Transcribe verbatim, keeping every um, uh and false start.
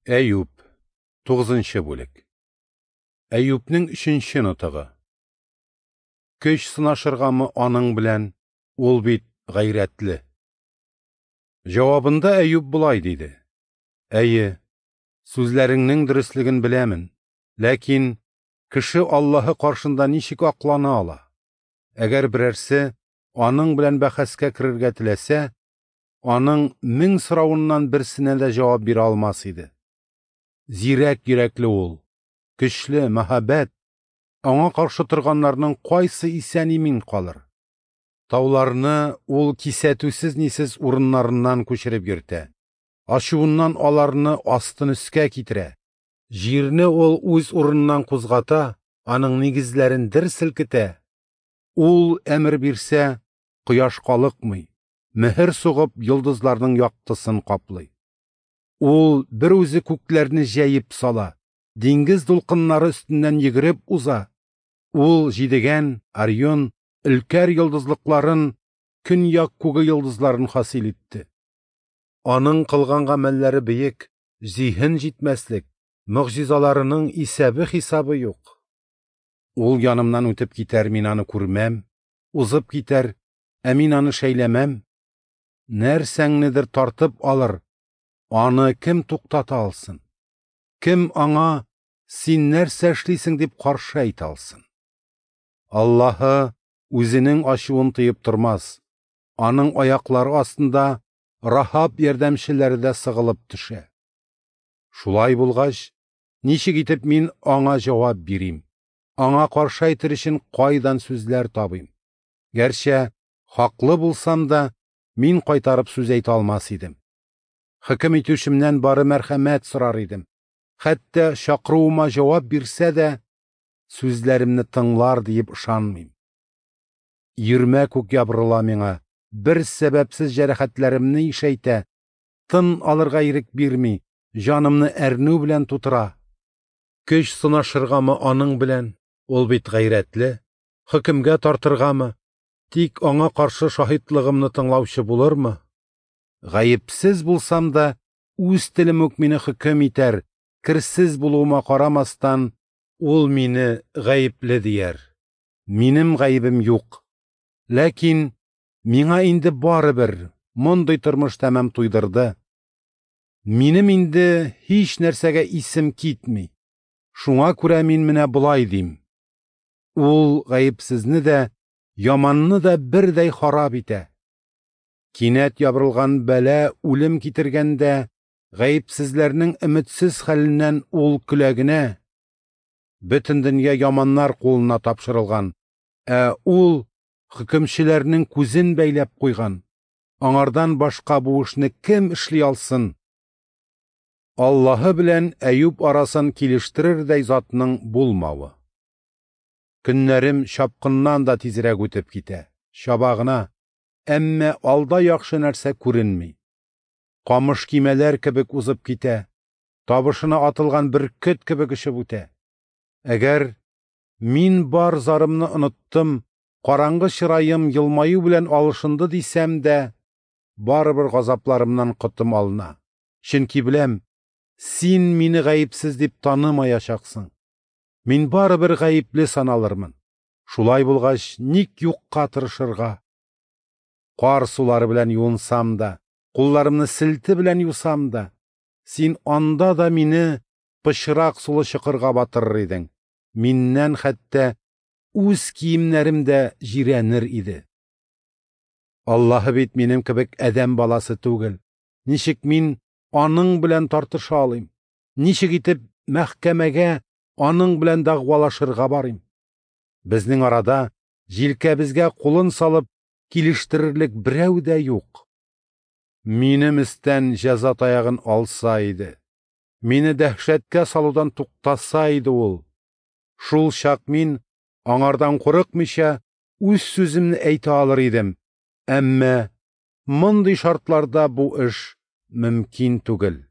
Әюп, тугызынчы бүлек. Әюпнең өченче нотыгы. Көч сынашыргамы аның белән, ул бит гайрәтле. Җавабында Әюп болай диде: Әйе, сүзләреңнең дөреслеген беләмен, ләкин кеше Аллаһы каршында ничек аклана ала? Әгәр берәрсе аның белән бәхәскә керергә теләсә, аның мең соравыннан берсенә дә җавап бирә алмас иде. Зирәк йөрәкле ул, көчле, мәһабәт, аңа каршы торганнарның кайсы исән-имин калыр? Тауларны ул кисәтүсез-нисез урыннарыннан күчереп йөртә, ачуыннан аларны астын өскә китерә. Җирне ул үз урыныннан кузгата, аның нигезләрен дер селкетә. Ул әмер бирсә, кояш калыкмый, мөһер сугып йолдызларның яктысын каплый. Ул бер үзе күкләрне җәеп сала, диңгез дулкыннары өстеннән йөгереп уза. Ул Җидегән, Орион, Өлкәр йолдызлыкларын, көньяк күге йолдызларын хасил итте. Аның кылган гамәлләре бөек, зиһен җитмәслек, могҗизаларының исәбе-хисабы юк. Ул янымнан үтеп китәр, мин аны күрмәм, узып китәр, ә мин аны шәйләмәм. Нәрсәңнедер тартып алыр, аны кем туктата алсын? Кем аңа «Син нәрсә эшлисең?» дип каршы әйтә алсын? Аллаһы үзенең ачуын тыеп тормас, аның аяклары астында Рахаб ярдәмчеләре дә сыгылып төшә. Шулай булгач, ничек итеп мин аңа җавап бирим? Аңа каршы әйтер өчен кайдан сүзләр табыйм? Гәрчә хаклы булсам да, мин кайтарып сүз әйтә алмас идем. Хөкем итүчемнән бары мәрхәмәт сорар идем. Хәтта чакыруыма җавап бирсә дә, сүзләремне тыңлар диеп ышанмыйм. Йөрмә күк ябырыла миңа, бер сәбәпсез җәрәхәтләремне ишәйтә, тын алырга ирек бирми, җанымны әрнү белән тутыра. Көч сынашыргамы аның белән, ул бит гайрәтле, хөкемгә тартыргамы, тик аңа каршы шаһитлыгымны тыңлаучы булырмы? Гаепсез булсам да, үз телем үк мине хөкем итәр, керсез булуыма карамастан, ул мине гаепле дияр. Минем гаебем юк. Ләкин миңа инде барыбер, мондый тормыш тәмам туйдырды. Минем инде һич нәрсәгә исем китми. Шуңа күрә мин менә болай дим. Ул гаепсезне дә, яманны да бердәй харап итә. Кинәт ябырылган бәла үлем китергәндә, гаепсезләрнең өметсез хәленнән ул көлә генә. Бөтен дөнья яманнар кулына тапшырылган, ә ул хөкемчеләрнең күзен бәйләп куйган. Аңардан башка бу эшне кем эшли алсын? Аллаһы белән Әюп арасын килештерердәй затның булмавы. Көннәрем чапкыннан да тизрәк үтеп китә, чаба гына, әмма алда яхшы нәрсә күренми. Камыш кимәләр кебек узып китә, табышына атылган бөркет кебек очып үтә. Әгәр мин бар зарымны оныттым, караңгы чыраем елмаю белән алышынды дисәм дә, барыбер газапларымнан котым алына. Чөнки беләм, син мине гаепсез дип танымаячаксың. Мин барыбер гаепле саналырмын. Шулай булгач, ник юкка тырышырга? Кар сулары белән юынсам да, кулларымны селте белән юсам да, син анда да мине пычрак сулы чокырга батырыр идең. Миннән хәтта үз киемнәрем дә җирәнер иде. Аллаһы бит минем кебек адәм баласы түгел. Ничек мин аның белән тартыша алыйм? Ничек итеп мәхкәмәгә аның белән дәгъвалашырга барыйм? Безнең арада җилкәбезгә кулын салып килештерерлек берәү дә юк. Минем өстән җәза таягын алса иде, мине дәһшәткә салудан туктаса иде ул. Шул чак мин аңардан курыкмыйча үз сүземне әйтә алыр идем. Әмма мондый шартларда бу эш мөмкин түгел.